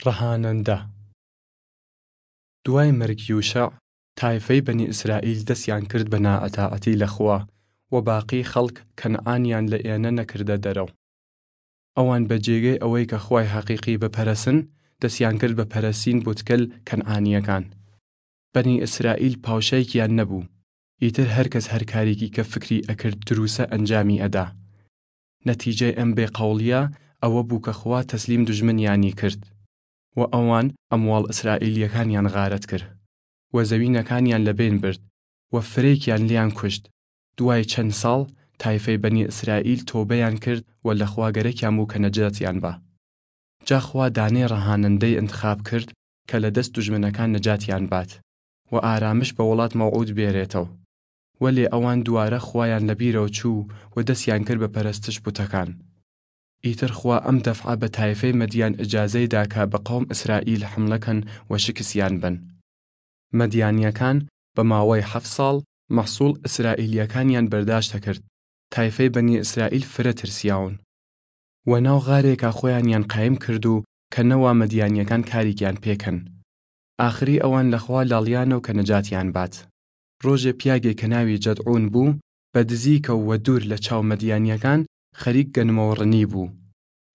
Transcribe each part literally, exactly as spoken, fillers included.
ڕەهانەندە. دوای مەرگ یوشەع، تایفەی بەنی ئیسرائیل دەسیان کرد بە نائەتاعەتی لە خوا، و باقی خەڵک کەنعانیان لە ئێنە نەکردە دەرەو. ئەوان بە جێگەی ئەوەی کە خوای هەقیقی بپەرەسن، دەسیان کرد بە پەرەسین بوتکەل کەنعانیەکان. بەنی ئیسرائیل پاوشایکیان نەبوو. ئیتر هەر کەس هەر کاریکی کە فکری ئەکرد دروسە ئەنجامی ئەدا. نەتیجەی ئەم بێ قەوڵیە ئەوە بوو کە خوا تەسلیم دژمنیانی کرد، و ئەوان ئەمواڵ ئیسرائیلیەکانیان غارەت کرد، و زەوینەکانیان لە بین برد، و فرەیکیان لیان کوشت. دوای چەن ساڵ، تایفەی بەنی ئیسرائیل تۆبەیان کرد و لە خوا گەرەکیان بوو کە نەجاتیان با. جا خوا دانەی ڕەهانەندەی ئنتخاب کرد کە لە دەست دژمنەکان نەجاتیان بات و ئارامش بە وڵات مەوعود بێرێتەو. وەلێ ئەوان دوارە خوایان لە بیرەو چوو و دەسیان کرد بە پەرەستش بوتەکان. ئیتر خوا ئەم دەفعە بە تایفەی مەدیان ئجازەی دا کە بە قەوم ئیسرائیل حملە کەن و شکسیان بەن. مەدیانیەکان بە ماوەی هەفت ساڵ مەحسوڵ ئیسرائیلیەکانیان بەرداشتە کرد. تایفەی بەنی ئیسرائیل فرە ترسیاون. و ناو غارێکا خویانیان قایم کرد و کە نەوا مەدیانیەکان کاریکیان پێ کەن. ئاخری ئەوان لە خوا لاڵیانەو کە نەجاتیان بات. ڕۆژێ پیاگێ کە ناوی جەدعون بوو، بە دزیکەو و دوور لە چاو مەدیانیەکان خەریک گەنمەوەڕنی بوو،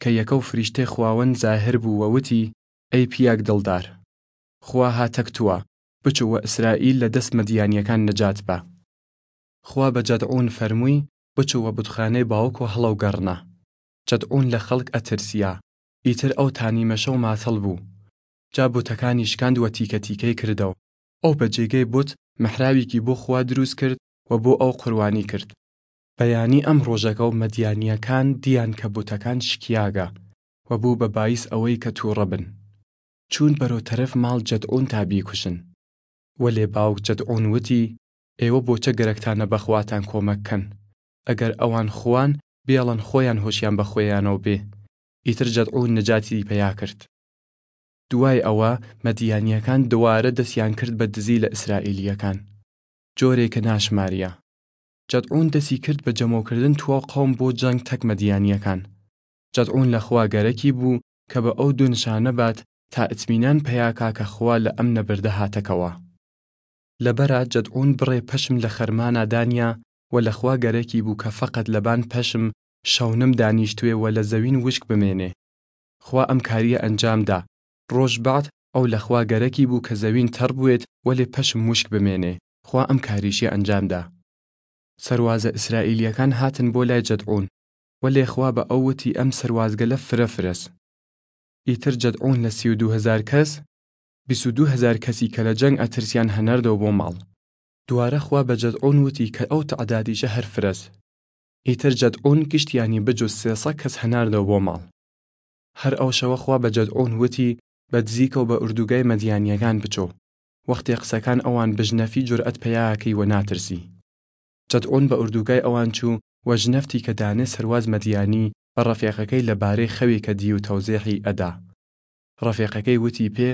کە یەکەو فریشتەی خواوەند زاهر بوو و وتی، ئەی پیاگ دڵدار! خوا هاتەک تووە، بچوو و ئیسرائیل لە دەس مەدیانیەکان نەجات بە. خوا بە جەدعون فەرمووی، بچوو و بتخانەی باوکۆ هەڵەو گەڕنە. جەدعون لە خەڵک ئەترسیا، ئیتر ئەو تانیمەشەو ماتەڵ بوو. جا بوتەکانی شکاند و تیکە تیکەی کردەو. ئەو بە جێگەی بوت مەحراویکی بۆ خوا دروس کرد و بۆ ئەو قوروانی کرد. بەیانی ئەم ڕۆژەگەو مەدیانیەکان دیان کە بوتەکان شکیاگە و بوو بە بایس ئەوەی کە تووڕە بن. چوون بەرەو تەرەف ماڵ جەدعون تا بیکوشن. وەلێ باوک جەدعون وتی، ئێوە بۆچە گەرەکتانە بە خواتان کۆمەک کەن؟ ئەگەر ئەوان خوان، بێڵن خویان هۆشیان بە خویانەو بێ. ئیتر جەدعون نەجاتی پەیا کرد. دوای ئەوە مەدیانیەکان دووارە دەسیان کرد بە دزی لە ئیسرائیلیەکان، جۆرێ کە ناشماریا. جەدعون دەسی کرد بە جەمەوکردن تواو قەوم بۆ جەنگ تەک مەدیانیەکان. جەدعون لە خوا گەرەکی بوو کە بە ئەو دوو نشانە بات تا ئتمینان پەیا کا کە خوا لە ئەم نەبردە هاتەکەوە. لەبەرا جەدعون بڕێ پەشم لە خەرمانا دانیا و لە خوا گەرەکی بوو کە فەقەت لەبان پەشم شەونم دانیشتوێ و لە زەوین وشک بمێنێ. خوا ئەم کاریە ئەنجام دا. ڕۆژ بەعد ئەو لە خوا گەرەکی بوو کە زەوین تەڕ بوێت وەلێ پەشم وشک بمێنێ. خوا ئەم کاریشی ئەنجام دا. سەروازە ئیسرائیلیەکان هاتن بۆ لای جەدعون، وەلێ خوا بە ئەو وتی، ئەم سەروازگەلە فرە فرەس. ئیتر جەدعون لە سی و دوو هەزار کەس، بیست و دوو هەزار کەسی کە لە جەنگ ئەترسیان هەناردەو بۆ ماڵ. دوارە خوا بە جەدعون وتی کە ئەو تەعدادیشە هەر فرەس. ئیتر جەدعون گشتیانی بجوز سێ سەد کەس هەناردەو بۆ ماڵ. هەر ئەو شەوە خوا بە جەدعون وتی، بە دزیکەو بە ئوردوگای مەدیانیەکان بچۆ. وەختێ قسەکان ئەوان بژنەفی جورئەت پەیا کەی و ناترسی. جەدعون بە ئوردوگای ئەوان چوو و ژنەفتی کە دانێ سەرواز مەدیانی بە ڕەفێقەکەی لە بارەی خەوی کە دی و تەوزێحی ئەدا. ڕەفێقەکەی وتی پێ،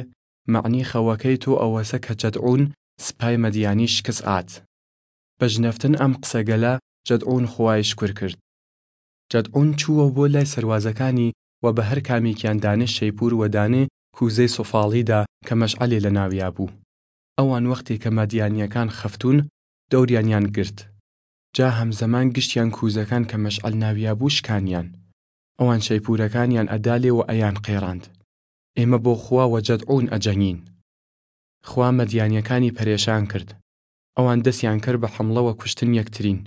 مەعنی خەوەکەی تۆ ئەوەسە کە جەدعون سپای مەدیانی شکس ئات. بە ژنەفتن ئەم قسەگەلە جەدعون خوای شکر کرد. جەدعون چووە بۆ لای سەروازەکانی و بە هەر کامیکیان دانێ شەیپور و دانێ کوزەی سۆفاڵی دا کە مەشعەلێ لە ناویا بوو. ئەوان وەختێ کە مەدیانیەکان خەفتون، دەوریانیان گرت. جا هەمزەمان گشتیان کوزەکان کە مەشعەل ناویا بوو شکانیان. ئەوان شەیپورەکانیان ئەدا لێ و ئەیان قێڕاند. ئێمە بۆ خوا و جەدعون ئەجەنگین. خوا مەدیانیەکانی پەرێشان کرد. ئەوان دەسیان کرد بە حەمڵە و کوشتن یەکترین.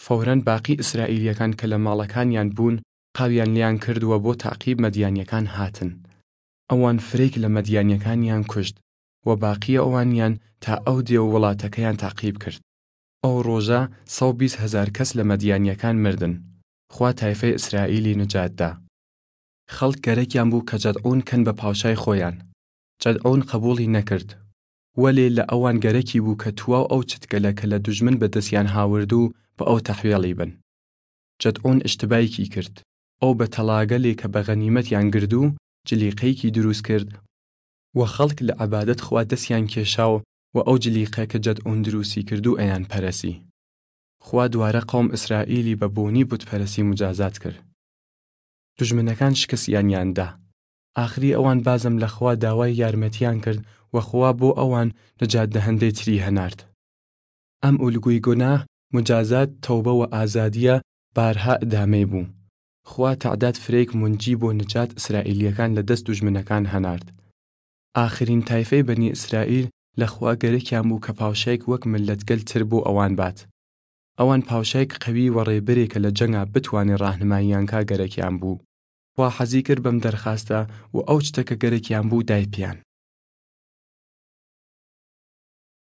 فەورەن باقی ئیسرائیلیەکان کە لە ماڵەکانیان بوون، قاویان لیان کرد و بۆ تاقیب مەدیانیەکان هاتن. ئەوان فرەیک لە مەدیانیەکانیان کوشت و باقی ئەوانیان تا ئەو دێ و وڵاتەکەیان تاقیب کرد. ئەو ڕۆژە سەد و بیست هەزار کەس لە مەدیانیەکان مردن. خوا تایفەی ئیسرائیلی نجات دا. خەڵک گەرەکیان بوو کە جەدعون کەن بە پاوشای خویان. جەدعون قەبوڵی نەکرد. وەلێ لە ئەوان گەرەکی بوو کە تواو ئەو چتگەلە کە لە دژمن بە دەسیان هاورد و بە ئەو تەحویەڵی بن. جەدعون ئشتبایکی کرد. ئەو بە تەڵاگەلێ کە بە غەنیمەتیان گرد و جلیقەیکی دروس کرد و خەڵک لە عەبادەت خوا دەسیان کێشاو و ئەو جلیقە کە جەدعون دروسی کردو ئەیان پەرەسی. خوا دوارە قەوم ئیسرائیلی بە بۆنی بتپەرەسی مجازات کرد. دژمنەکان شکستیانیان دا. ئاخری ئەوان بازم لە خوا داوای یارمەتیان کرد و خوا بۆ ئەوان نەجات دەهەندەی تری هەنارد. ئەم ئولگوی گوناه، مجازات، تەوبە و ئازادیە بارها ئدامەی بوو. خوا تەعداد فرەیگ مونجی بۆ نەجات ئسرائیلیەکان لە دەس دوژمنەکان هەنارد. ئاخرین تایفەی بەنی ئسرائیل لە خوا گەرەکیان بوو کە پاوشایگ وەک مللەتگەل تر بۆ ئەوان بات. ئەوان پاوشایگ قەوی و ڕێبەرێ کە لە جەنگا بتوانێ ڕاهنماییان کا گەرەکیان بوو. خوا حەزی کرد بەم دەرخاستە و ئەو چتە کە گەرەکیان بوو دای پیان.